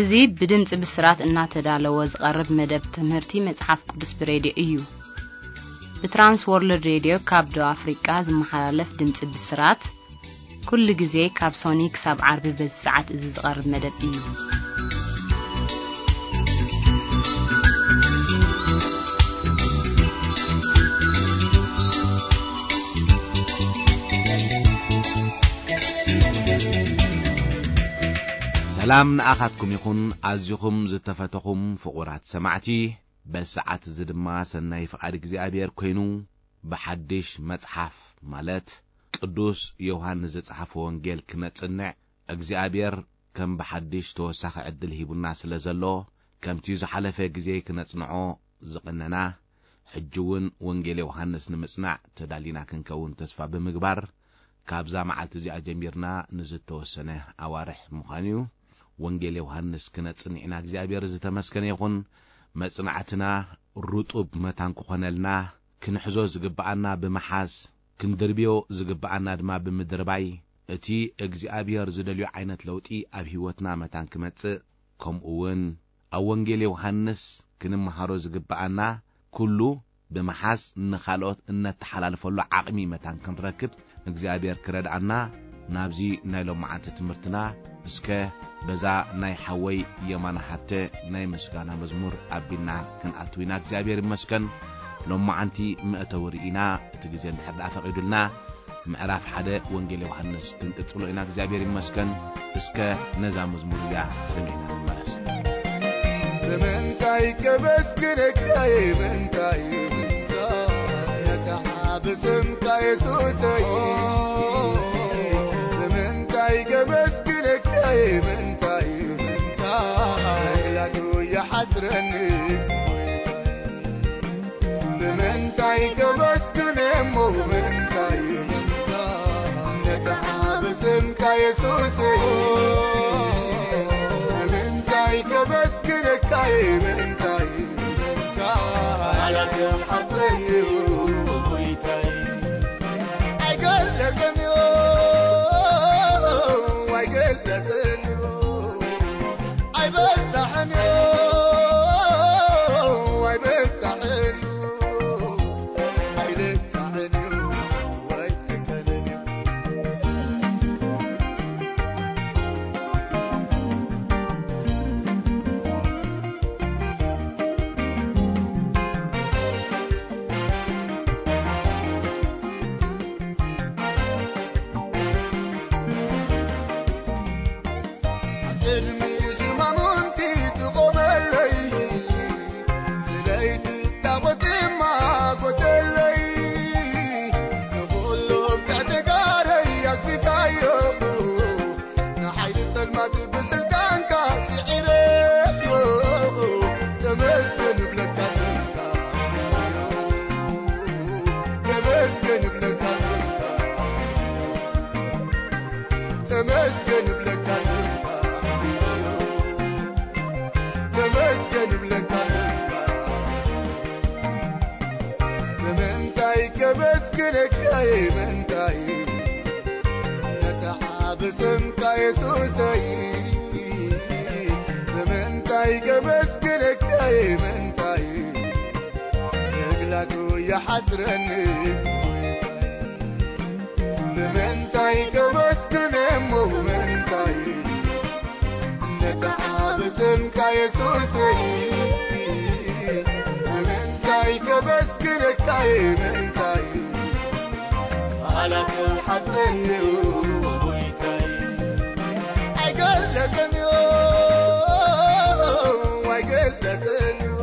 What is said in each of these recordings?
እዚ ብድምጺ ብስራት እናተዳለወ ዝቐርብ መደብ ትምህርቲ መጽሓፍ ቅዱስ ብሬድዮ እዩ። ብትራንስ ወርልድ ሬድዮ ካብ ደቡብ ኣፍሪቃ ዝመሓላለፍ ድምጺ ብስራት፣ ኩሉ ግዜ ካብ ሶኒ ክሳብ ዓርቢ በዚ ሰዓት እዚ ዝቐርብ መደብ እዩ። ሰላም ንኣኻትኩም ይኹን፣ ኣዚኹም ዝተፈተኹም ፍቑራት ሰማዕቲ። በዚ ሰዓት እዚ ድማ ሰናይ ፍቓድ እግዚኣብሔር ኮይኑ፣ ብሓድሽ መጽሓፍ፣ ማለት ቅዱስ ዮሃንስ ዝጸሓፎ ወንጌል ክነጽንዕ እግዚኣብሔር ከም ብሓድሽ ተወሳኺ ዕድል ሂቡና ስለ ዘሎ፣ ከምቲ ዝሓለፈ ግዜ ክነጽንዖ ዝቐነና፣ ሕጂ እውን ወንጌል ዮሃንስ ንምጽናዕ ተዳሊና ክንከውን ተስፋ ብምግባር፣ ካብዛ መዓልቲ እዚኣ ጀሚርና ንዝተወሰነ ኣዋርሕ ምዃኑ እዩ። ወንጌል ዮሃንስ ክነጽንዕ ኢና። እግዚኣብሔር ዝተመስገነ ይኹን። መጽናዕትና ርጡብ መታን ክኾነልና፣ ክንሕዞ ዝግብኣና ብምሓዝ፣ ክንድርብዮ ዝግብኣና ድማ ብምድርባይ፣ እቲ እግዚኣብሔር ዝደልዮ ዓይነት ለውጢ ኣብ ህይወትና መታን ክመጽእ፣ ከምኡ እውን ኣብ ወንጌል ዮሃንስ ክንመሃሮ ዝግብኣና ኩሉ ብምሓዝ ንኻልኦት እነተሓላልፈሉ ዓቕሚ መታን ክንረክብ እግዚኣብሔር ክረድኣና ናብዚ ናይ ሎመዓንቲ ትምህርትና እስከ በዛ ናይ ሓወይ የማነ ሃብተ ናይ ምስጋና መዝሙር ኣቢልና ክንኣቱ ኢና። እግዚኣብሔር ይመስገን። ሎመዓንቲ መእተዊ ርኢና እቲ ግዜ እንድሕር ደኣ ፈቒዱልና ምዕራፍ ሓደ ወንጌል ዮሃንስ ክንቅጽሎ ኢና። እግዚኣብሔር ይመስገን። እስከ ነዛ መዝሙር እዚኣ ሰሚዕና ንመለስ። ብምንታይ ከመስግነካ እየ፣ ምንታይ፣ ምንታይ፣ ነታ ብስምካ የሱሰይ። ብምንታይ ከመስግነካ እየ፣ ምንታይ፣ ምንታይ፣ ምግላጹ ይሓስረኒ። ብምንታይ ከመስግን እሞ ብምንታይ ነታ ብስምካ የሱሰይ። ብምንታይ ከመስግነካ ምንታይ ቃላት ሓስረኒ ጎይታይ። ኣይገለጸን እዩ፣ ኣይገለጸን እዩ። ኣይበዛሕን እዩ፣ ኣይበዛሕን እዩ፣ ኣይልካዕን እዩ፣ ኣይልካዕን እዩ። ኣብ ቅድሚ ሽማሙንቲ ትቖመለይ፣ ስለይቲ ታቦት ድማ ጎተለይ፣ ንኹሉ ኣብ ትሕቲ ጋረይ ኣግዚእካዮ፣ ንሓይሊ ጸልማት ብስልጣንካ ስዒረዮ፣ ተመስገን እብለካ ስምካ። ተመስገን እብለካ ስምካ። ተመስገን እብለካ ስምካ። ተመስገን እብለካ ስምካ። ብምንታይ ከመስግነካ ምንታይ ነታ ብስምካ የሱሰይ። ብምንታይ ከመስግነካ ምንታይ ምግላጹ ይሓስረኒ። ብምንታይ ከመስግን እሞ ብምንታይ ነታ ብስምካ የሱሰይ። ብምንታይ ከመስግነካ ምንታይ ቃላት ሓስረኒ ጎይታይ። ኣይገለጸን እዩ፣ ኣይገለጸን እዩ፣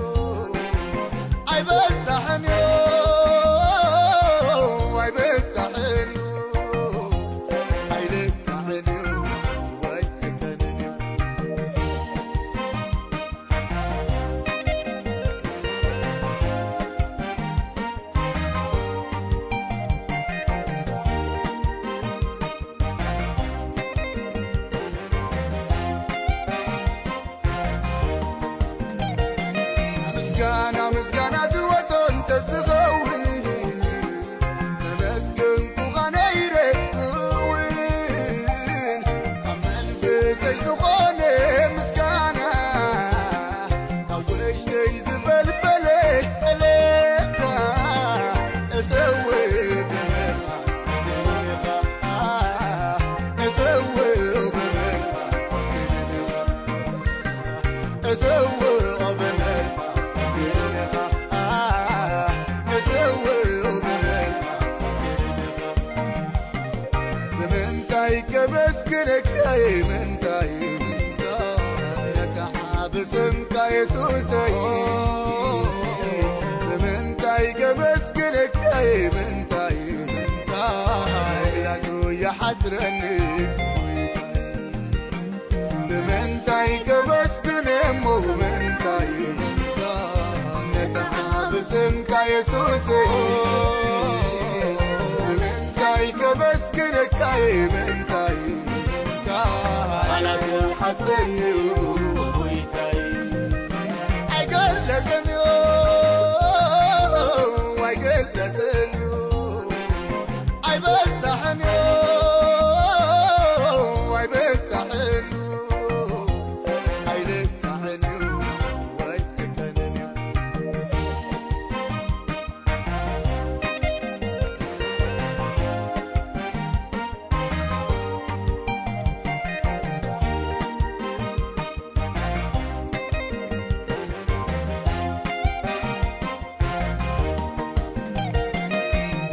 ኣይበዛሕን እዩ፣ ኣይበዛሕን እዩ፣ ኣይልካዕን እዩ፣ ኣይልካዕን እዩ። ምስጋና ምስጋና ዝወጾ እንተዝኸውን፣ ተመስገንኩኻ ነይረ እውን። ካብ መንፈሰይ ዝኾነ ምስጋና እንታይ ከመስግነካ እየ፣ ምንታይ፣ ምንታይ፣ ነታ ሓብ ስምካ የሱሰይ። ብምንታይ ከመስግነካ እየ፣ ምንታይ፣ ምንታይ፣ ላቱ ይሓስረኒ ጎይታይ። ብምንታይ ከመስግን እሞ፣ ብምንታይ፣ ነታ ሓብ ስምካ የሱሰይ። ብምንታይ ከመስግነካ እየ፣ ምንታይ፣ ቃላት ሓስረኒ ጎይታይ። ኣይገለጸን እዩ፣ ኣይገለጸን እዩ፣ ኣይበዛሕን እዩ፣ ኣይበዛሕን እዩ፣ ኣይልካዕን እዩ፣ ኣይልካዕን እዩ።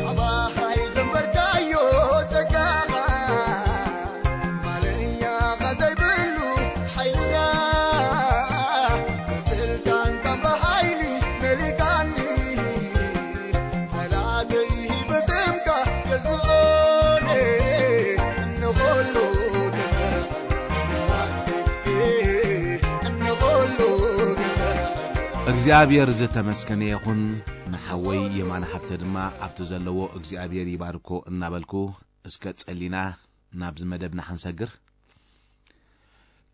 ኣባኻ የዘንበርካዮ ጸጋኻ፣ ማለኛኻ ዘይብሉ ሓይልኻ፣ ብስልጣንካን ብሓይሊ መሊካኒ፣ ጸላእተይ ብስምካ ገዝኦኒ፣ ንኹሉ ግዛእ፣ ንኹሉ ግዛእ። እግዚኣብሔር ዝተመስገነ ይኹን። ንሓወይ የማነ ሃብተ ድማ ኣብቲ ዘለዎ እግዚኣብሔር ይባርኮ እናበልኩ፣ እስከ ጸሊና ናብዚ መደብና ክንሰግር።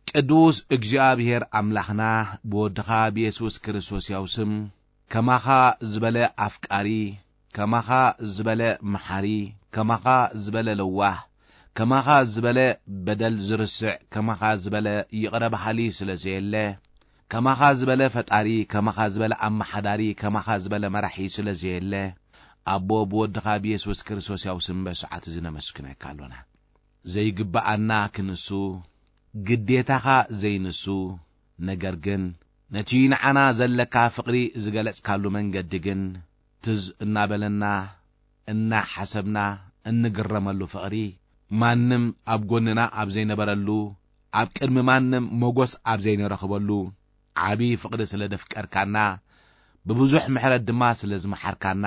ቅዱስ እግዚኣብሔር ኣምላኽና፣ ብወድኻ ብየሱስ ክርስቶስ ያው ስም፣ ከማኻ ዝበለ ኣፍቃሪ፣ ከማኻ ዝበለ መሓሪ፣ ከማኻ ዝበለ ለዋህ፣ ከማኻ ዝበለ በደል ዝርስዕ፣ ከማኻ ዝበለ ይቕረ በሃሊ ስለ ዘየለ፣ ከማኻ ዝበለ ፈጣሪ፣ ከማኻ ዝበለ ኣመሓዳሪ፣ ከማኻ ዝበለ መራሒ ስለ ዘየለ፣ ኣቦ ብወድኻ ብየሱስ ክርስቶስ ያው ስም በሰዓት እዚ ነመስግነካ ኣሎና። ዘይግብኣና ክንሱ፣ ግዴታኻ ዘይንሱ፣ ነገር ግን ነቲ ንዓና ዘለካ ፍቕሪ ዝገለጽካሉ መንገዲ ግን ትዝ እናበለና፣ እናሓሰብና እንግረመሉ ፍቕሪ፣ ማንም ኣብ ጎንና ኣብ ዘይነበረሉ፣ ኣብ ቅድሚ ማንም ሞጎስ ኣብ ዘይንረኽበሉ፣ ዓቢ ፍቕሪ ስለ ደፍቀርካና፣ ብብዙሕ ምሕረት ድማ ስለ ዝመሓርካና፣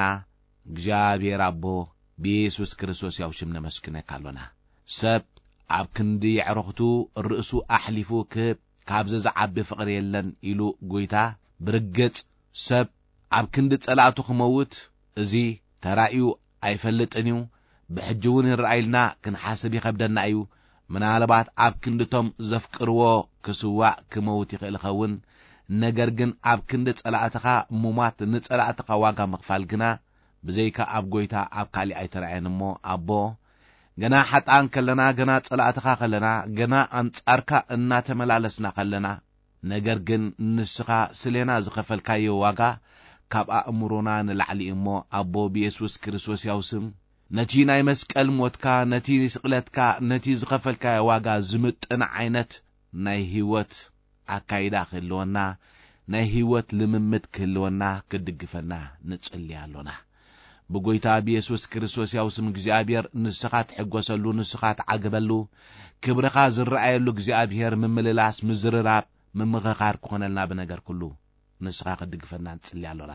እግዚኣብሔር ኣቦ፣ ብየሱስ ክርስቶስ ያው ሽም ነመስግነካ ኣሎና። ሰብ ኣብ ክንዲ የዕሩኽቱ ርእሱ ኣሕሊፉ ክህብ፣ ካብዚ ዝዓቢ ፍቕሪ የለን ኢሉ ጐይታ። ብርግጽ ሰብ ኣብ ክንዲ ጸላእቱ ክመውት፣ እዚ ተራእዩ ኣይፈልጥን እዩ። ብሕጂ እውን ይረኣይልና፣ ክንሓስብ ይኸብደና እዩ። ምናልባት ኣብ ክንድቶም ዘፍቅርዎ ክስዋእ ክመውት ይኽእል ይኸውን። ነገር ግን ኣብ ክንዲ ጸላእትኻ ምሟት፣ ንጸላእትኻ ዋጋ ምኽፋል ግና ብዘይካ ኣብ ጐይታ ኣብ ካሊእ ኣይተራእየን እሞ፣ ኣቦ፣ ገና ሓጥኣን ከለና፣ ገና ጸላእትኻ ከለና፣ ገና ኣንጻርካ እናተመላለስና ከለና፣ ነገር ግን ንስኻ ስሌና ዝኸፈልካዮ ዋጋ ካብ ኣእምሮና ንላዕሊ እዩ እሞ፣ ኣቦ፣ ብየሱስ ክርስቶስ ያው ስም፣ ነቲ ናይ መስቀል ሞትካ፣ ነቲ ስቕለትካ፣ ነቲ ዝኸፈልካዮ ዋጋ ዝምጥን ዓይነት ናይ ህይወት ኣካይዳ ክህልወና፣ ናይ ህይወት ልምምድ ክህልወና፣ ክትድግፈና ንጽሊ ኣሎና። ብጐይታ ብየሱስ ክርስቶስ ያው ስም እግዚኣብሔር፣ ንስኻ ትሕጎሰሉ፣ ንስኻ ትዓግበሉ፣ ክብርኻ ዝረኣየሉ እግዚኣብሔር፣ ምምልላስ፣ ምዝርራብ፣ ምምኽኻር ክኾነልና ብነገር ኩሉ ንስኻ ክትድግፈና ንጽሊ ኣሎና።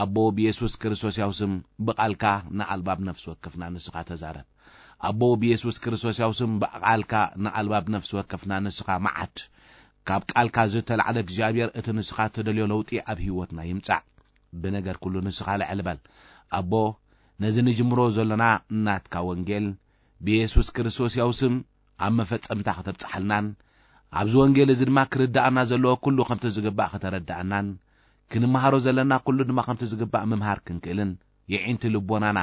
ኣቦ ብየሱስ ክርስቶስ ያው ስም ብቓልካ ንኣልባብ ነፍሲ ወከፍና ንስኻ ተዛረብ። ኣቦ ብየሱስ ክርስቶስ ያው ስም ብቓልካ ንኣልባብ ነፍሲ ወከፍና ንስኻ መዓድ። ካብ ቃልካ ዝተላዕለ እግዚኣብሔር እቲ ንስኻ እትደልዮ ለውጢ ኣብ ህይወትና ይምጻእ። ብነገር ኩሉ ንስኻ ልዕል በል። ኣቦ ነዚ ንጅምሮ ዘሎና ናትካ ወንጌል ብየሱስ ክርስቶስ ያው ስም ኣብ መፈጸምታ ከተብጽሓልናን ኣብዚ ወንጌል እዚ ድማ ክርድኣና ዘለዎ ኩሉ ከምቲ ዝግባእ ከተረድኣናን ክንመሃሮ ዘለና ኩሉ ድማ ከምቲ ዝግባእ ምምሃር ክንክእልን የዒንቲ ልቦናና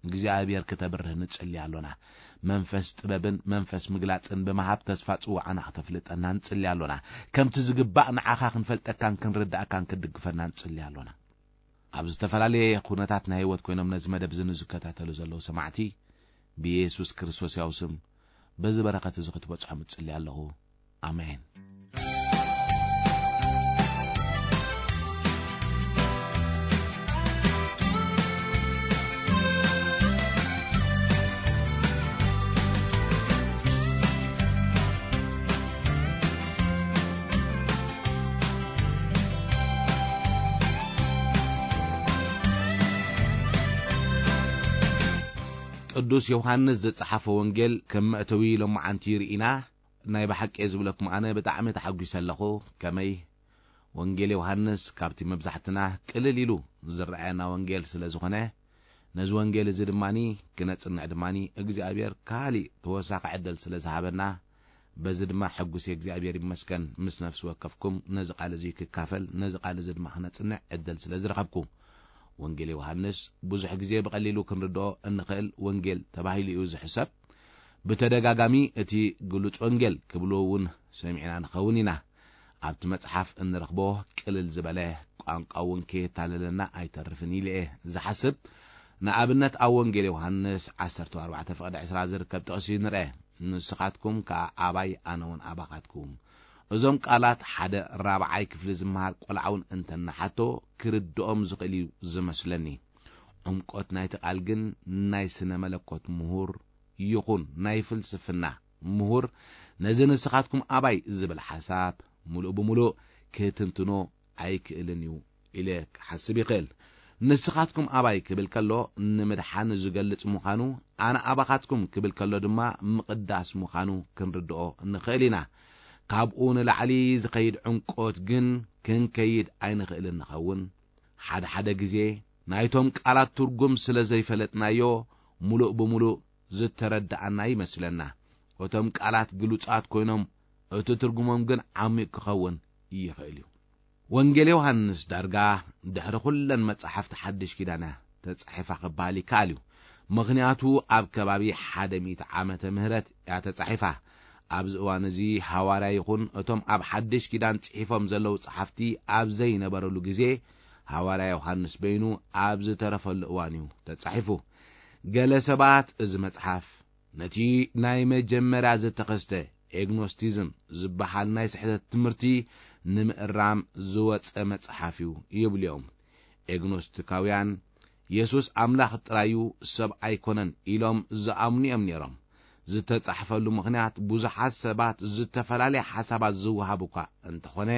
እግዚኣብሔር ክተብርህ ንጽሊ ኣሎና። መንፈስ ጥበብን መንፈስ ምግላጽን ብምሃብ ተስፋ ጽዋዓና ክተፍልጠና ንጽሊ ኣሎና። ከምቲ ዝግባእ ንዓኻ ክንፈልጠካን ክንርድኣካን ክትድግፈና ንጽሊ ኣሎና። ኣብ ዝተፈላለየ ኩነታት ናይ ህይወት ኮይኖም ነዚ መደብ እዚ ንዝከታተሉ ዘለዉ ሰማዕቲ ብየሱስ ክርስቶስ ያው ስም በዚ በረኸት እዚ ክትበጽሖም እጽሊ ኣለኹ። ኣሜን። ቅዱስ ዮሃንስ ዝጸሓፎ ወንጌል ከም መእተዊ ሎማዓንቲ ርኢና፣ ናይ ብሓቂ ዝብለኩም ኣነ ብጣዕሚ ተሓጒሰ ኣለኹ። ከመይ? ወንጌል ዮሃንስ ካብቲ መብዛሕትና ቅልል ኢሉ ዝረኣየና ወንጌል ስለ ዝኾነ፣ ነዚ ወንጌል እዚ ድማኒ ክነጽንዕ ድማኒ እግዚኣብሔር ካሊእ ተወሳኺ ዕድል ስለ ዝሃበና፣ በዚ ድማ ሕጉስ እግዚኣብሔር ይመስገን። ምስ ነፍሲ ወከፍኩም ነዚ ቃል እዚ ክካፈል፣ ነዚ ቃል እዚ ድማ ክነጽንዕ ዕድል ስለ ዝረኸብኩ። ወንጌል ዮሃንስ ብዙሕ ግዜ ብቐሊሉ ክንርድኦ እንኽእል ወንጌል ተባሂሉ እዩ ዝሕሰብ። ብተደጋጋሚ እቲ ግሉጽ ወንጌል ክብሉ እውን ሰሚዕና ንኸውን ኢና። ኣብቲ መጽሓፍ እንረኽቦ ቅልል ዝበለ፣ ቋንቋ እውን ከየታለለና ኣይተርፍን ኢለ እየ ዝሓስብ። ንኣብነት ኣብ ወንጌል ዮሃንስ ዓሰርተ ኣርባዕተ ፍቕዲ ዕስራ ዝርከብ ጥቕሲ ንርአ። "ንስኻትኩም ከኣ ኣባይ ኣነ እውን ኣባኻትኩም።" እዞም ቃላት ሓደ ራብዓይ ክፍሊ ዝመሃር ቆልዓ እውን እንተናሓቶ ክርድኦም ዝኽእል እዩ ዝመስለኒ። ዕምቆት ናይቲ ቃል ግን ናይ ስነ መለኮት ምሁር ይኹን ናይ ፍልስፍና ምሁር ነዚ "ንስኻትኩም ኣባይ" ዝብል ሓሳብ ምሉእ ብምሉእ ክትንትኖ ኣይክእልን እዩ ኢለ ክሓስብ ይኽእል። "ንስኻትኩም ኣባይ" ክብል ከሎ ንምድሓን ዝገልጽ ምዃኑ፣ "ኣነ ኣባኻትኩም" ክብል ከሎ ድማ ምቕዳስ ምዃኑ ክንርድኦ ንኽእል ኢና። ካብኡ ንላዕሊ ዝኸይድ ዕምቆት ግን ክንከይድ ኣይንኽእልን ንኸውን። ሓደ ሓደ ግዜ ናይቶም ቃላት ትርጉም ስለ ዘይፈለጥናዮ ምሉእ ብምሉእ ዝተረዳኣና ይመስለና። እቶም ቃላት ግሉጻት ኮይኖም እቲ ትርጉሞም ግን ዓሚቕ ክኸውን ይኽእል እዩ። ወንጌል ዮሃንስ ዳርጋ ድሕሪ ኩለን መጻሕፍቲ ሓድሽ ኪዳን እያ ተጻሒፋ ክበሃል ይከኣል እዩ። ምኽንያቱ ኣብ ከባቢ ሓደ ሚእቲ ዓመተ ምህረት እያ ተጻሒፋ። ኣብዚ እዋን እዚ ሃዋርያ ይኹን እቶም ኣብ ሓድሽ ኪዳን ጽሒፎም ዘለዉ ጸሓፍቲ ኣብ ዘይነበረሉ ግዜ፣ ሃዋርያ ዮሃንስ በይኑ ኣብ ዝተረፈሉ እዋን እዩ ተጻሒፉ። ገለ ሰባት እዚ መጽሓፍ ነቲ ናይ መጀመርያ ዝተኸስተ ኤግኖስቲዝም ዝበሃል ናይ ስሕተት ትምህርቲ ንምእራም ዝወጸ መጽሓፍ እዩ ይብሉ እዮም። ኤግኖስቲካውያን የሱስ ኣምላኽ ጥራይ እዩ፣ ሰብ ኣይኮነን ኢሎም ዝኣምኑ እዮም ነይሮም። ዝተጻሕፈሉ ምኽንያት ብዙሓት ሰባት ዝተፈላለየ ሓሳባት ዝወሃብ እኳ እንተኾነ፣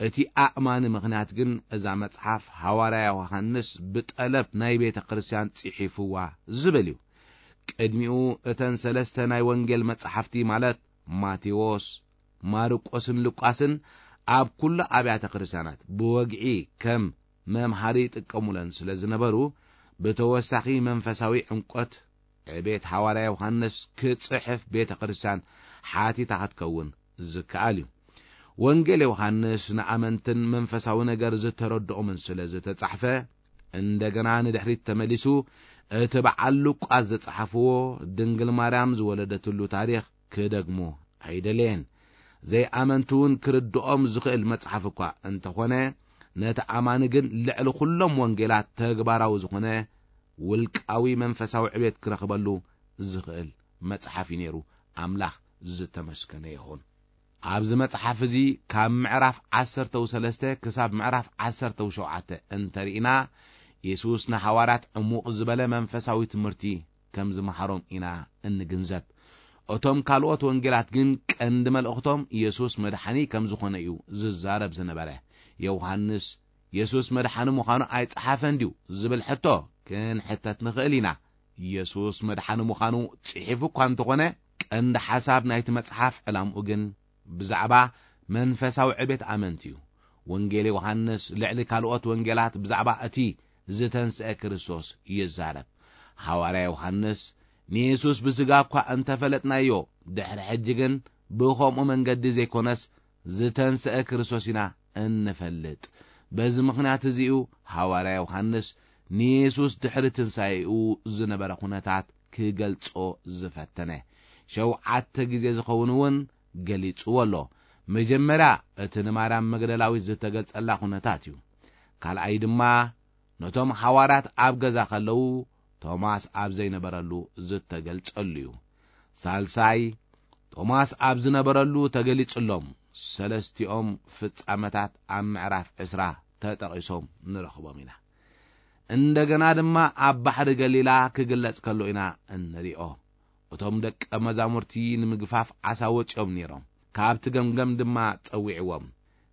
እቲ ኣእማኒ ምኽንያት ግን እዛ መጽሓፍ ሃዋርያ ዮሃንስ ብጠለብ ናይ ቤተ ክርስቲያን ጽሒፍዋ ዝብል እዩ። ቅድሚኡ እተን ሰለስተ ናይ ወንጌል መጻሕፍቲ ማለት ማቴዎስ፣ ማርቆስን ሉቃስን ኣብ ኩሉ ኣብያተ ክርስቲያናት ብወግዒ ከም መምሃሪ ይጥቀሙለን ስለ ዝነበሩ፣ ብተወሳኺ መንፈሳዊ ዕምቆት ዕቤት ሃዋርያ ዮሃንስ ክጽሕፍ ቤተ ክርስቲያን ሓቲታ ክትከውን ዝከኣል እዩ። ወንጌል ዮሃንስ ንኣመንትን መንፈሳዊ ነገር ዝተረድኦምን ስለ ዝተጻሕፈ፣ እንደገና ንድሕሪት ተመሊሱ እቲ በዓል ሉቃስ ዝጸሓፍዎ ድንግል ማርያም ዝወለደትሉ ታሪኽ ክደግሞ ኣይደለየን። ዘይኣመንቲ እውን ክርድኦም ዝኽእል መጽሓፍ እኳ እንተኾነ፣ ነቲ ኣማኒ ግን ልዕሊ ኩሎም ወንጌላት ተግባራዊ ዝኾነ ውልቃዊ መንፈሳዊ ዕቤት ክረኽበሉ ዝኽእል መጽሓፍ እዩ ነይሩ። ኣምላኽ ዝተመስገነ ይኹን። ኣብዚ መጽሓፍ እዚ ካብ ምዕራፍ ዓሰርተው ሰለስተ ክሳብ ምዕራፍ ዓሰርተው ሸውዓተ እንተርኢና፣ የሱስ ንሃዋርያት ዕሙቕ ዝበለ መንፈሳዊ ትምህርቲ ከም ዝመሃሮም ኢና እንግንዘብ። እቶም ካልኦት ወንጌላት ግን ቀንዲ መልእኽቶም የሱስ መድሓኒ ከም ዝኾነ እዩ ዝዛረብ ዝነበረ። ዮሃንስ የሱስ መድሓኒ ምዃኑ ኣይጸሓፈን ድዩ ዝብል ሕቶ ክንሕተት ንኽእል ኢና። የሱስ መድሓኒ ምዃኑ ጽሒፉ እኳ እንተኾነ፣ ቀንዲ ሓሳብ ናይቲ መጽሓፍ ዕላምኡ ግን ብዛዕባ መንፈሳዊ ዕቤት ኣመንቲ እዩ። ወንጌል ዮሃንስ ልዕሊ ካልኦት ወንጌላት ብዛዕባ እቲ ዝተንስአ ክርስቶስ ይዛረብ። ሃዋርያ ዮሃንስ፣ "ንየሱስ ብስጋ እኳ እንተፈለጥናዮ፣ ድሕሪ ሕጂ ግን ብኸምኡ መንገዲ ዘይኮነስ ዝተንስአ ክርስቶስ ኢና እንፈልጥ። በዚ ምኽንያት እዚ እዩ ሃዋርያ ዮሃንስ ንየሱስ ድሕሪ ትንሳኤኡ ዝነበረ ኩነታት ክገልጾ ዝፈተነ። ሸውዓተ ግዜ ዝኸውን እውን ገሊጽዎ ኣሎ። መጀመርያ እቲ ንማርያም መግደላዊት ዝተገልጸላ ኩነታት እዩ። ካልኣይ ድማ ነቶም ሃዋርያት ኣብ ገዛ ከለዉ ቶማስ ኣብ ዘይነበረሉ ዝተገልጸሉ እዩ። ሳልሳይ ቶማስ ኣብ ዝነበረሉ ተገሊጹሎም። ሰለስቲኦም ፍጻመታት ኣብ ምዕራፍ ዕስራ ተጠቒሶም ንረኽቦም ኢና። እንደገና ድማ ኣብ ባሕሪ ገሊላ ክግለጽ ከሎ ኢና እንሪኦ። እቶም ደቀ መዛሙርቲ ንምግፋፍ ዓሳ ወጺኦም ነይሮም። ካብቲ ገምገም ድማ ጸዊዕዎም።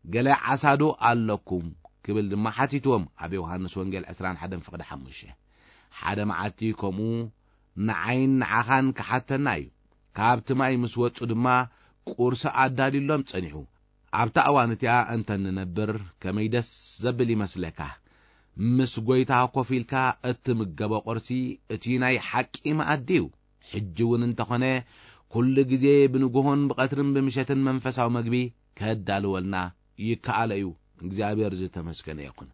"ገለ ዓሳ ዶ ኣለኩም?" ክብል ድማ ሓቲትዎም። ኣብ ዮሃንስ ወንጌል ዕስራን ሓደን ፍቕዲ ሓሙሽተ። ሓደ መዓልቲ ከምኡ ንዓይን ንዓኻን ክሓተና እዩ። ካብቲ ማይ ምስ ወጹ ድማ ቁርሲ ኣዳልዩሎም ጸኒሑ። ኣብታ እዋን እቲኣ እንተ እንነብር ከመይ ደስ ዘብል ይመስለካ። ምስ ጐይታ ኮፍ ኢልካ እትምገቦ ቁርሲ እቲ ናይ ሓቂ መኣዲ እዩ። ሕጂ እውን እንተኾነ ኩሉ ግዜ ብንግሆን ብቐትርን ብምሸትን መንፈሳዊ መግቢ ከዳልወልና ይከኣሎ እዩ። እግዚኣብሔር ዝተመስገነ ይኹን።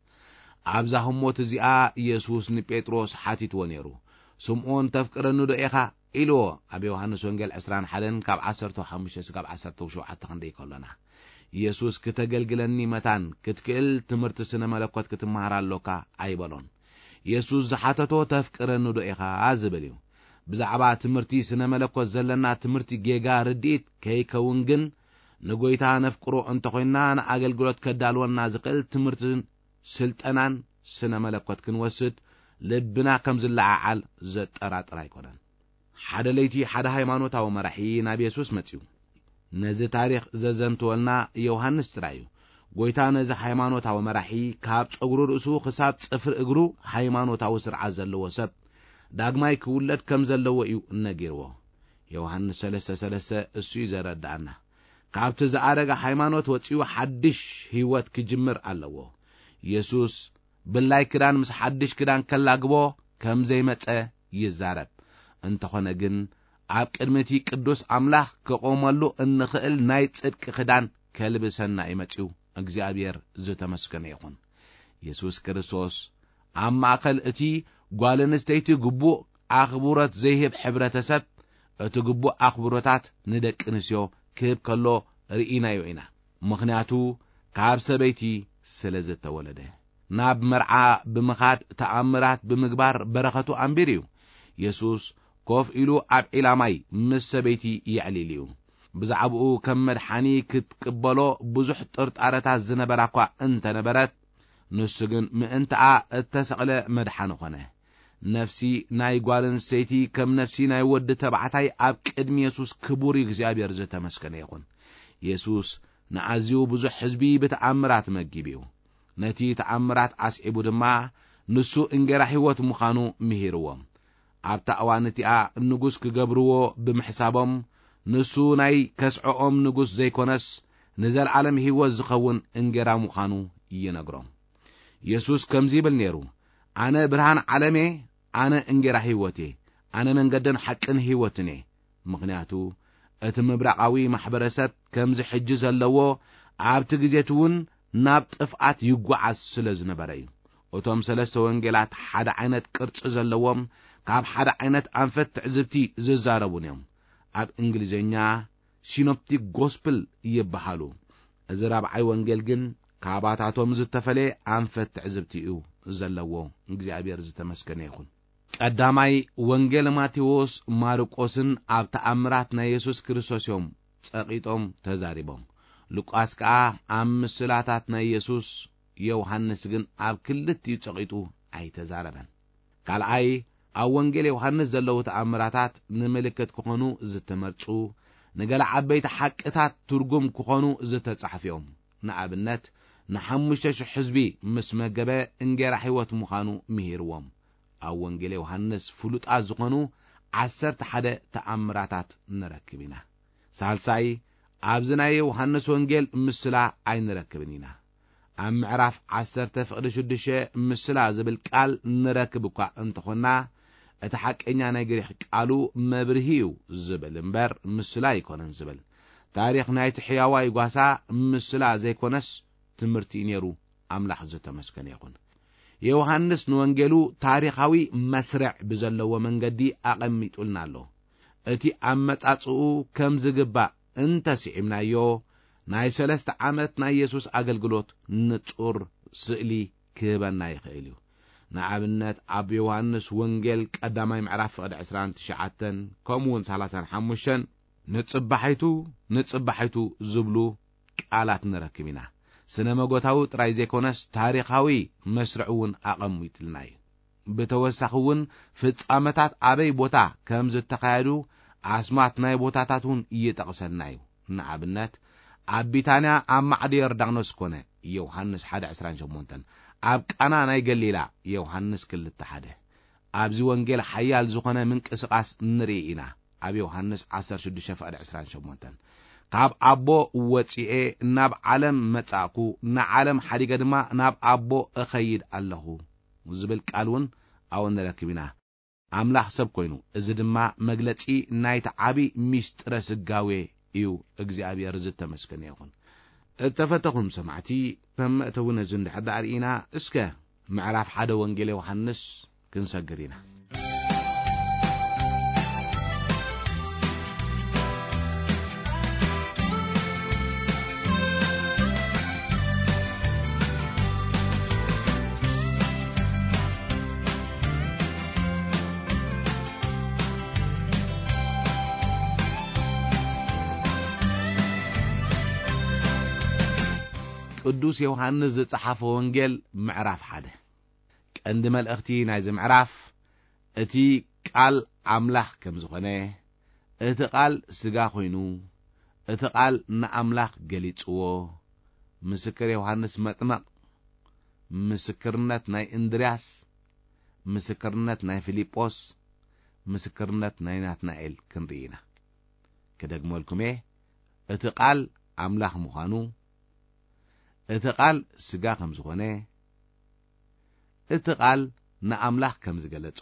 ኣብዛ ህሞት እዚኣ የሱስ ንጴጥሮስ ሓቲትዎ ነይሩ። "ስምዖን ተፍቅረኒ ዶ ኢኻ?" ኢልዎ። ኣብ ዮሃንስ ወንጌል ዕስራን ሓደን ካብ ዓሰርተ ሓሙሽተ እስካብ ዓሰርተ ሸውዓተ ክንደይ ከሎና፣ የሱስ ክተገልግለኒ መታን ክትክእል ትምህርቲ ስነ መለኮት ክትመሃር ኣሎካ ኣይበሎን። የሱስ ዝሓተቶ "ተፍቅረኒ ዶ ኢኻ?" ዝብል እዩ። ብዛዕባ ትምህርቲ ስነ መለኮት ዘለና ትምህርቲ ጌጋ ርድኢት ከይከውን ግን፣ ንጎይታ ነፍቅሮ እንተኾይንና ንኣገልግሎት ከዳልወና ዝኽእል ትምህርትን ስልጠናን ስነ መለኮት ክንወስድ ልብና ከም ዝለዓዓል ዘጠራጥር ኣይኮነን። ሓደ ለይቲ ሓደ ሃይማኖታዊ መራሒ ናብ የሱስ መጺኡ። ነዚ ታሪኽ ዘዘንትወልና ዮሃንስ ጥራይ እዩ። ጎይታ ነዚ ሃይማኖታዊ መራሒ ካብ ጸጉሪ ርእሱ ክሳብ ጽፍሪ እግሩ ሃይማኖታዊ ስርዓት ዘለዎ ሰብ ዳግማይ ክውለድ ከም ዘለዎ እዩ ነጊርዎ። ዮሃንስ ሰለስተ ሰለስተ እሱ እዩ ዘረድኣና። ካብቲ ዝኣረገ ሃይማኖት ወጺኡ ሓድሽ ህይወት ክጅምር ኣለዎ። የሱስ ብላይ ክዳን ምስ ሓድሽ ክዳን ከላግቦ ከም ዘይመጸ ይዛረብ። እንተኾነ ግን ኣብ ቅድሚ እቲ ቅዱስ ኣምላኽ ክቆመሉ እንኽእል ናይ ጽድቂ ክዳን ከልብሰና እዩ መጺኡ። እግዚኣብሔር ዝተመስገነ ይኹን። የሱስ ክርስቶስ ኣብ ማእከል እቲ ጓል ኣንስተይቲ ግቡእ ኣኽብሮት ዘይህብ ሕብረተሰብ፣ እቲ ግቡእ ኣኽብሮታት ንደቂ ኣንስትዮ ክህብ ከሎ ርኢናዮ ኢና። ምኽንያቱ ካብ ሰበይቲ ስለ ዝተወለደ። ናብ መርዓ ብምኻድ ተኣምራት ብምግባር በረኸቱ ኣንቢሩ እዩ። የሱስ ኮፍ ኢሉ ኣብ ዒላ ማይ ምስ ሰበይቲ የዕሊል እዩ። ብዛዕባኡ ከም መድሓኒ ክትቅበሎ ብዙሕ ጥርጣረታት ዝነበራ እኳ እንተነበረት፣ ንሱ ግን ምእንትኣ እተሰቕለ መድሓኒ ኾነ። ነፍሲ ናይ ጓል ኣንስተይቲ ከም ነፍሲ ናይ ወዲ ተባዕታይ ኣብ ቅድሚ የሱስ ክቡር እዩ። እግዚኣብሔር ዝተመስገነ ይኹን። የሱስ ንኣዝዩ ብዙሕ ህዝቢ ብተኣምራት መጊቡ እዩ። ነቲ ተኣምራት ኣስዒቡ ድማ ንሱ እንጌራ ህይወት ምዃኑ ምሂርዎም። ኣብታ እዋን እቲኣ ንጉስ ክገብርዎ ብምሕሳቦም፣ ንሱ ናይ ከስዐኦም ንጉስ ዘይኮነስ ንዘለዓለም ህይወት ዝኸውን እንጌራ ምዃኑ ይነግሮም። የሱስ ከምዚ ይብል ነይሩ፣ "ኣነ ብርሃን ዓለም እየ፣ ኣነ እንጌራ ህይወት እየ፣ ኣነ መንገድን ሓቅን ህይወትን እየ።" ምኽንያቱ እቲ ምብራቓዊ ማሕበረሰብ ከምዚ ሕጂ ዘለዎ ኣብቲ ግዜ እቲ እውን ናብ ጥፍኣት ይጓዓዝ ስለ ዝነበረ እዩ። እቶም ሰለስተ ወንጌላት ሓደ ዓይነት ቅርጺ ዘለዎም፣ ካብ ሓደ ዓይነት ኣንፈት ትዕዝብቲ ዝዛረቡን እዮም። ኣብ እንግሊዝኛ ሲኖፕቲክ ጎስፕል ይበሃሉ። እዚ ራብዓይ ወንጌል ግን ካባታቶም ዝተፈለየ ኣንፈት ትዕዝብቲ እዩ ዘለዎ። እግዚኣብሔር ዝተመስገነ ይኹን። ቀዳማይ ወንጌል ማቴዎስ፣ ማርቆስን ኣብ ተኣምራት ናይ የሱስ ክርስቶስ እዮም ጸቒጦም ተዛሪቦም። ሉቃስ ከኣ ኣብ ምስላታት ናይ የሱስ፣ ዮሃንስ ግን ኣብ ክልቲኡ ጸቒጡ ኣይተዛረበን። ካልኣይ፣ ኣብ ወንጌል ዮሃንስ ዘለዉ ተኣምራታት ንምልክት ክኾኑ ዝተመርጹ፣ ንገለ ዓበይቲ ሓቅታት ትርጉም ክኾኑ ዝተጻሕፉ እዮም። ንኣብነት፣ ንሓሙሽተ ሽሕ ህዝቢ ምስ መገበ እንጌራ ህይወት ምዃኑ ምሂርዎም። ኣብ ወንጌል ዮሃንስ ፍሉጣት ዝኾኑ ዓሰርተ ሓደ ተኣምራታት ንረክብ ኢና። ሳልሳይ፣ ኣብዚ ናይ ዮሃንስ ወንጌል ምስላ ኣይንረክብን ኢና። ኣብ ምዕራፍ ዓሰርተ ፍቕዲ ሽዱሽተ ምስላ ዝብል ቃል ንረክብ እኳ እንተኾንና፣ እቲ ሓቀኛ ናይ ግሪኽ ቃሉ መብርሂ እዩ ዝብል እምበር ምስላ ኣይኮነን ዝብል። ታሪኽ ናይቲ ሕያዋይ ጓሳ ምስላ ዘይኮነስ ትምህርቲ እዩ ነይሩ። ኣምላኽ ዝተመስገነ ይኹን። ዮሃንስ ንወንጌሉ ታሪኻዊ መስርዕ ብዘለዎ መንገዲ ኣቐሚጡልና ኣሎ። እቲ ኣመጻጽኡ ከም ዝግባእ እንተ ስዒብናዮ፣ ናይ ሰለስተ ዓመት ናይ የሱስ ኣገልግሎት ንጹር ስእሊ ክህበና ይኽእል እዩ። ንኣብነት፣ ኣብ ዮሃንስ ወንጌል ቀዳማይ ምዕራፍ ፍቕዲ ዕስራን ትሽዓተን ከምኡ እውን ሰላሳን ሓሙሽተን፣ "ንጽባሒቱ፣ ንጽባሒቱ" ዝብሉ ቃላት ንረክብ ኢና። ስነ መጎታዊ ጥራይ ዘይኮነስ ታሪኻዊ መስርዕ እውን ኣቐሚጥልና እዩ። ብተወሳኺ እውን ፍጻመታት ኣበይ ቦታ ከም ዝተኻየዱ ኣስማት ናይ ቦታታት እውን ይጠቕሰልና እዩ። ንኣብነት፣ ኣብ ቢታንያ ኣብ ማዕዶ ዮርዳኖስ ኮነ፣ ዮሃንስ ሓደ ዕስራን ሸሞንተን፣ ኣብ ቃና ናይ ገሊላ፣ ዮሃንስ ክልተ ሓደ። ኣብዚ ወንጌል ሓያል ዝኾነ ምንቅስቓስ ንርኢ ኢና። ኣብ ዮሃንስ ዓሰርተ ሽዱሽተ ፍቕዲ ዕስራን ሸሞንተን፣ "ካብ ኣቦ ወጺኤ ናብ ዓለም መጻእኩ፣ ንዓለም ሓዲገ ድማ ናብ ኣቦ እኸይድ ኣለኹ" ዝብል ቃል እውን ኣብኡ ንረክብ ኢና። ኣምላኽ ሰብ ኮይኑ፣ እዚ ድማ መግለጺ ናይቲ ዓቢ ሚስጥረ ስጋዌ እዩ። እግዚኣብሔር ዝተመስገነ ይኹን። እተፈተኹም ሰማዕቲ፣ ከም መእተዊ ነዚ እንድሕር ደኣ ርኢና፣ እስከ ምዕራፍ ሓደ ወንጌል ዮሃንስ ክንሰግር ኢና። ቅዱስ ዮሃንስ ዝጸሓፎ ወንጌል ምዕራፍ ሓደ። ቀንዲ መልእኽቲ ናይዚ ምዕራፍ እቲ ቃል ኣምላኽ ከም ዝኾነ፣ እቲ ቃል ስጋ ኮይኑ፣ እቲ ቃል ንኣምላኽ ገሊጽዎ፣ ምስክር ዮሃንስ መጥመቕ፣ ምስክርነት ናይ እንድርያስ፣ ምስክርነት ናይ ፊልጶስ፣ ምስክርነት ናይ ናትናኤል ክንርኢ ኢና። ክደግመልኩም እየ፣ እቲ ቃል ኣምላኽ ምዃኑ፣ እቲ ቃል ስጋ ከም ዝኾነ፣ እቲ ቃል ንኣምላኽ ከም ዝገለጾ፣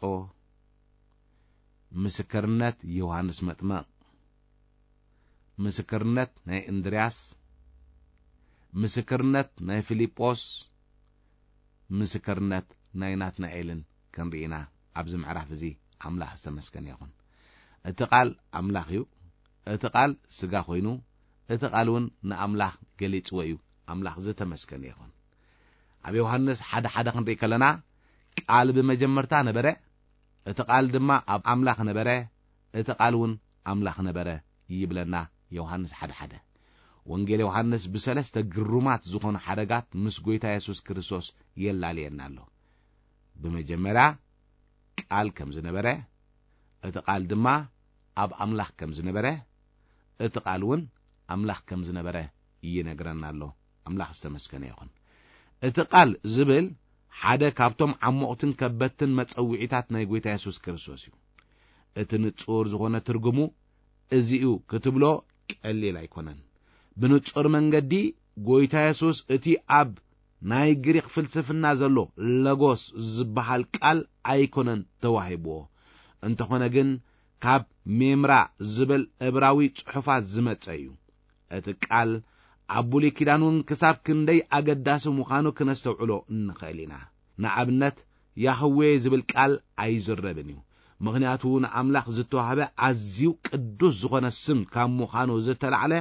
ምስክርነት ዮሃንስ መጥመቕ፣ ምስክርነት ናይ እንድርያስ፣ ምስክርነት ናይ ፊልጶስ፣ ምስክርነት ናይ ናትናኤልን ክንርኢ ኢና ኣብዚ ምዕራፍ እዚ። ኣምላኽ ዝተመስገነ ይኹን። እቲ ቃል ኣምላኽ እዩ። እቲ ቃል ስጋ ኮይኑ፣ እቲ ቃል እውን ንኣምላኽ ገሊጽዎ እዩ። ኣምላኽ ዝተመስገነ ይኹን። ኣብ ዮሃንስ ሓደ ሓደ ክንርኢ ከለና፣ "ቃል ብመጀመርታ ነበረ፣ እቲ ቃል ድማ ኣብ ኣምላኽ ነበረ፣ እቲ ቃል እውን ኣምላኽ ነበረ" ይብለና ዮሃንስ ሓደ ሓደ። ወንጌል ዮሃንስ ብሰለስተ ግሩማት ዝኾኑ ሓረጋት ምስ ጐይታ የሱስ ክርስቶስ የላልየና ኣሎ። ብመጀመርያ ቃል ከም ዝነበረ፣ እቲ ቃል ድማ ኣብ ኣምላኽ ከም ዝነበረ፣ እቲ ቃል እውን ኣምላኽ ከም ዝነበረ ይነግረና ኣሎ። ኣምላኽ ዝተመስገነ ይኹን። እቲ ቃል ዝብል ሓደ ካብቶም ዓሞቕትን ከበድትን መጸውዒታት ናይ ጐይታ የሱስ ክርስቶስ እዩ። እቲ ንጹር ዝኾነ ትርጉሙ እዚ እዩ ክትብሎ ቀሊል ኣይኮነን። ብንጹር መንገዲ ጐይታ የሱስ እቲ ኣብ ናይ ግሪኽ ፍልስፍና ዘሎ ለጎስ ዝበሃል ቃል ኣይኮነን ተዋሂብዎ። እንተኾነ ግን ካብ ሜምራ ዝብል እብራዊ ጽሑፋት ዝመጸ እዩ። እቲ ቃል ኣብ ብሉይ ኪዳን እውን ክሳብ ክንደይ ኣገዳሲ ምዃኑ ክነስተውዕሎ እንኽእል ኢና። ንኣብነት፣ ያህዌ ዝብል ቃል ኣይዝረብን እዩ። ምኽንያቱ ንኣምላኽ ዝተዋህበ ኣዝዩ ቅዱስ ዝኾነ ስም ካብ ምዃኑ ዝተላዕለ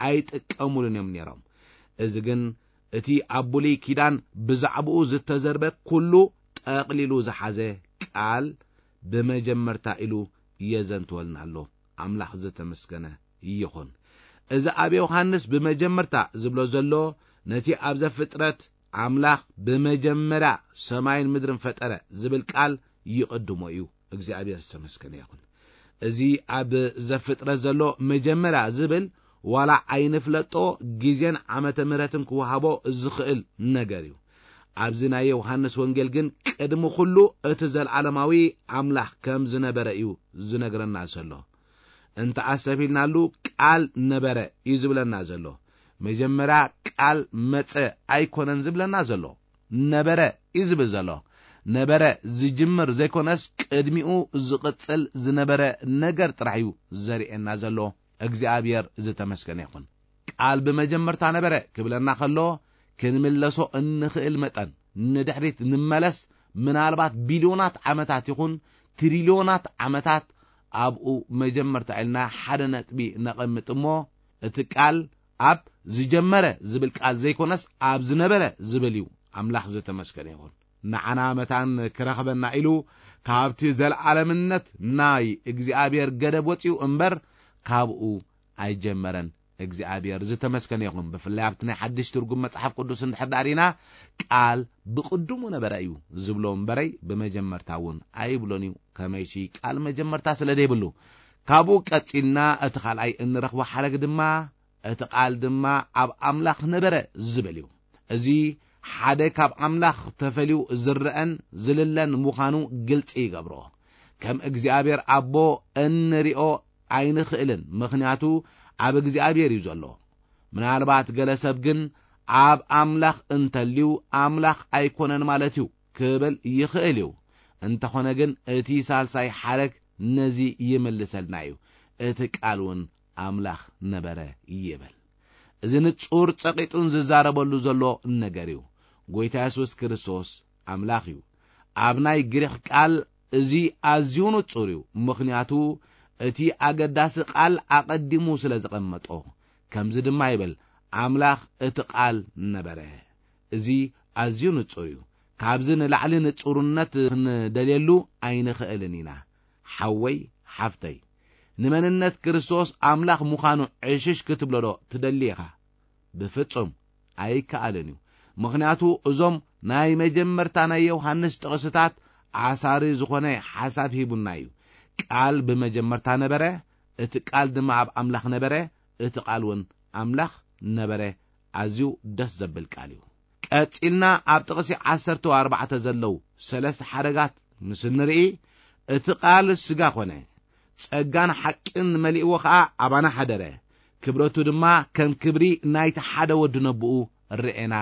ኣይጥቀሙሉን እዮም ነይሮም። እዚ ግን እቲ ኣብ ብሉይ ኪዳን ብዛዕባኡ ዝተዘርበ ኩሉ ጠቕሊሉ ዝሓዘ ቃል ብመጀመርታ ኢሉ የዘንትወልና ኣሎ። ኣምላኽ ዝተመስገነ ይኹን። እዚ ኣብ ዮሃንስ ብመጀመርታ ዝብሎ ዘሎ ነቲ ኣብ ዘፍጥረት ኣምላኽ ብመጀመርያ ሰማይን ምድርን ፈጠረ ዝብል ቃል ይቕድሞ እዩ። እግዚኣብሔር ዝተመስገነ ይኹን። እዚ ኣብ ዘፍጥረት ዘሎ መጀመርያ ዝብል ዋላ ኣይንፍለጦ ግዜን ዓመተ ምህረትን ክወሃቦ ዝኽእል ነገር እዩ። ኣብዚ ናይ ዮሃንስ ወንጌል ግን ቅድሚ ኩሉ እቲ ዘለዓለማዊ ኣምላኽ ከም ዝነበረ እዩ ዝነግረና ዘሎ። እንተ ኣሰፊልናሉ ቃል ነበረ እዩ ዝብለና ዘሎ። መጀመርያ ቃል መጸ ኣይኮነን ዝብለና ዘሎ፣ ነበረ እዩ ዝብል ዘሎ። ነበረ ዝጅምር ዘይኮነስ ቅድሚኡ ዝቕጽል ዝነበረ ነገር ጥራሕ እዩ ዘርእየና ዘሎ። እግዚኣብሔር ዝተመስገነ ይኹን። ቃል ብመጀመርታ ነበረ ክብለና ከሎ ክንምለሶ እንኽእል መጠን ንድሕሪት ንመለስ። ምናልባት ቢልዮናት ዓመታት ይኹን ትሪልዮናት ዓመታት ኣብኡ መጀመርታ ኢልና ሓደ ነጥቢ ነቐምጥ እሞ፣ እቲ ቃል ኣብ ዝጀመረ ዝብል ቃል ዘይኮነስ ኣብ ዝነበረ ዝብል እዩ። ኣምላኽ ዝተመስገነ ይኹን። ንዓና መታን ክረኽበና ኢሉ ካብቲ ዘለዓለምነት ናይ እግዚኣብሔር ገደብ ወጺኡ እምበር ካብኡ ኣይጀመረን። እግዚኣብሔር ዝተመስገነ ይኹን። ብፍላይ ኣብቲ ናይ ሓድሽ ትርጉም መጽሓፍ ቅዱስ እንድሕር ዳሪና፣ ቃል ብቕድሙ ነበረ እዩ ዝብሎ እምበረይ ብመጀመርታ እውን ኣይብሎን እዩ። ከመይሲ ቃል መጀመርታ ስለ ዘይብሉ። ካብኡ ቀጺልና እቲ ካልኣይ እንረኽቦ ሓረግ ድማ፣ እቲ ቃል ድማ ኣብ ኣምላኽ ነበረ ዝብል እዩ። እዚ ሓደ ካብ ኣምላኽ ተፈልዩ ዝረኣን ዝልለን ምዃኑ ግልጺ ይገብሮ። ከም እግዚኣብሔር ኣቦ እንሪኦ ኣይንኽእልን፣ ምኽንያቱ ኣብ እግዚኣብሔር እዩ ዘሎ። ምናልባት ገለ ሰብ ግን ኣብ ኣምላኽ እንተልዩ ኣምላኽ ኣይኮነን ማለት እዩ ክብል ይኽእል እዩ። እንተኾነ ግን እቲ ሳልሳይ ሓረግ ነዚ ይምልሰልና እዩ። እቲ ቃል እውን ኣምላኽ ነበረ ይብል። እዚ ንጹር ጸቂጡን ዝዛረበሉ ዘሎ ነገር እዩ። ጎይታ የሱስ ክርስቶስ ኣምላኽ እዩ። ኣብ ናይ ግሪኽ ቃል እዚ ኣዝዩ ንጹር እዩ፣ ምኽንያቱ እቲ ኣገዳሲ ቃል ኣቐዲሙ ስለ ዝቐመጦ። ከምዚ ድማ ይብል፣ ኣምላኽ እቲ ቃል ነበረ። እዚ ኣዝዩ ንጹር እዩ። ካብዚ ንላዕሊ ንጹርነት ክንደልየሉ ኣይንኽእልን ኢና። ሓወይ፣ ሓፍተይ፣ ንመንነት ክርስቶስ ኣምላኽ ምዃኑ ዕሽሽ ክትብሎ ዶ ትደሊ ኢኻ? ብፍጹም ኣይከኣልን እዩ። ምኽንያቱ እዞም ናይ መጀመርታ ናይ ዮሃንስ ጥቕስታት ኣሳሪ ዝኾነ ሓሳብ ሂቡና እዩ። ቃል ብመጀመርታ ነበረ፣ እቲ ቃል ድማ ኣብ ኣምላኽ ነበረ፣ እቲ ቃል እውን ኣምላኽ ነበረ። ኣዝዩ ደስ ዘብል ቃል እዩ። ቀጺልና ኣብ ጥቕሲ ዓሰርተ ኣርባዕተ ዘለዉ ሰለስተ ሓረጋት ምስ እንርኢ፣ እቲ ቃል ስጋ ኾነ፣ ጸጋን ሓቅን መሊእዎ ኸኣ ኣባና ሓደረ፣ ክብረቱ ድማ ከም ክብሪ ናይቲ ሓደ ወዲ ነብኡ ርኤና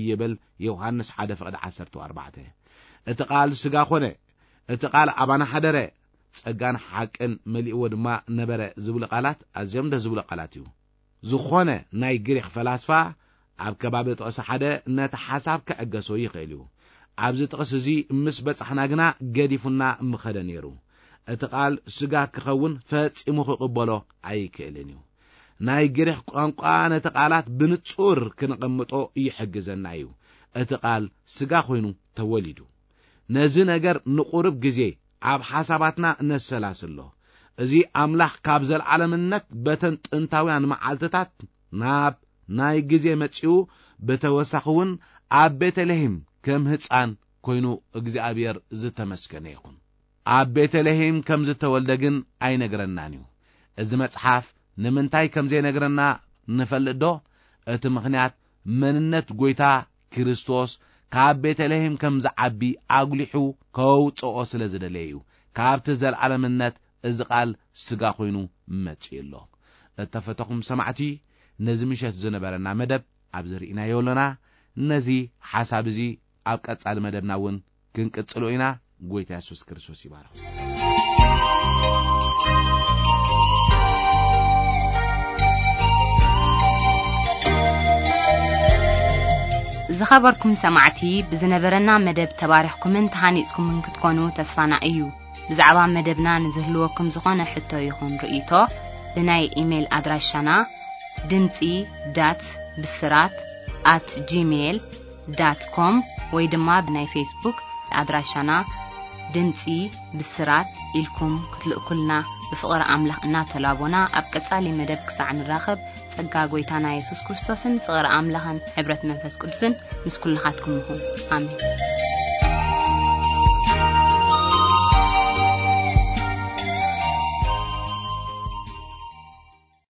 ይብል ዮሃንስ ሓደ ፍቕዲ ዓሰርተ ኣርባዕተ። እቲ ቃል ስጋ ኾነ፣ እቲ ቃል ኣባና ሓደረ፣ ጸጋን ሓቅን መሊእዎ ድማ ነበረ ዝብሉ ቃላት ኣዝዮም ደስ ዝብሉ ቃላት እዩ። ዝኾነ ናይ ግሪኽ ፈላስፋ ኣብ ከባቢ ጥቕሲ ሓደ ነቲ ሓሳብ ክዕገሶ ይኽእል እዩ። ኣብዚ ጥቕሲ እዚ ምስ በጻሕና ግና ገዲፉና ምኸደ ነይሩ። እቲ ቃል ስጋ ክኸውን ፈጺሙ ክቕበሎ ኣይክእልን እዩ። ናይ ግሪኽ ቋንቋ ነቲ ቃላት ብንጹር ክንቕምጦ ይሕግዘና እዩ። እቲ ቃል ስጋ ኮይኑ ተወሊዱ። ነዚ ነገር ንቑርብ ግዜ ኣብ ሓሳባትና ነሰላስሎ። እዚ ኣምላኽ ካብ ዘልዓለምነት በተን ጥንታውያን መዓልትታት ናብ ናይ ግዜ መጺኡ፣ ብተወሳኺ እውን ኣብ ቤተልሔም ከም ህጻን ኮይኑ እግዚኣብሔር ዝተመስገነ ይኹን። ኣብ ቤተልሔም ከም ዝተወልደ ግን ኣይነግረናን እዩ። እዚ መጽሓፍ ንምንታይ ከም ዘይነግረና ንፈልጥ ዶ? እቲ ምኽንያት መንነት ጎይታ ክርስቶስ ካብ ቤተልሔም ከም ዝዓቢ ኣጉሊሑ ከውጽኦ ስለ ዝደለየ እዩ። ካብቲ ዘልዓለምነት እዚ ቃል ስጋ ኮይኑ መጺኡ ኣሎ። እተፈተኹም ሰማዕቲ፣ ነዚ ምሸት ዝነበረና መደብ ኣብዚ ርኢናዮ ኣለና። ነዚ ሓሳብ እዚ ኣብ ቀጻሊ መደብና እውን ክንቅጽሎ ኢና። ጎይታ የሱስ ክርስቶስ ይባርኽ። ዝኸበርኩም ሰማዕቲ፣ ብዝነበረና መደብ ተባሪኽኩምን ተሃኒጽኩምን ክትኮኑ ተስፋና እዩ። ብዛዕባ መደብና ንዝህልወኩም ዝኾነ ሕቶ ይኹን ርእይቶ፣ ብናይ ኢሜይል ኣድራሻና ድምጺ ዳት ብስራት ኣት ጂሜይል ዳት ኮም ወይ ድማ ብናይ ፌስቡክ ኣድራሻና ድምጺ ብስራት ኢልኩም ክትልእኩልና ብፍቕሪ ኣምላኽ እናተላቦና፣ ኣብ ቀጻሊ መደብ ክሳዕ ንራኸብ፣ ጸጋ ጎይታና የሱስ ክርስቶስን ፍቕሪ ኣምላኽን ሕብረት መንፈስ ቅዱስን ምስ ኩልኻትኩም ይኹን። ኣሜን።